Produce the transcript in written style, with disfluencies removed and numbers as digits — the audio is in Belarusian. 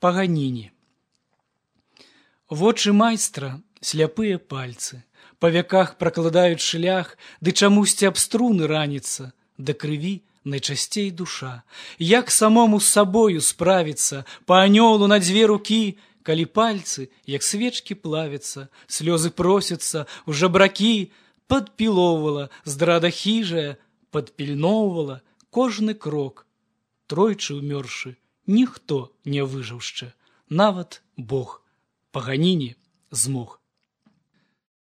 Паганіні. Вочы майстра сляпыя пальцы, па вяках пракладаюць шлях, ды чамусьці аб струны раніцца, да крыві найчасцей душа. Як самому з сабою справіцца, па анёлу на дзве рукі, калі пальцы, як свечкі плавяцца, слёзы просяцца ў жабракі, падпілоўвала здрада хіжая, падпільноўвала кожны крок. Тройчы ўмёршы, ніхто не выжыўшчэ, нават Бог. Паганіні змог.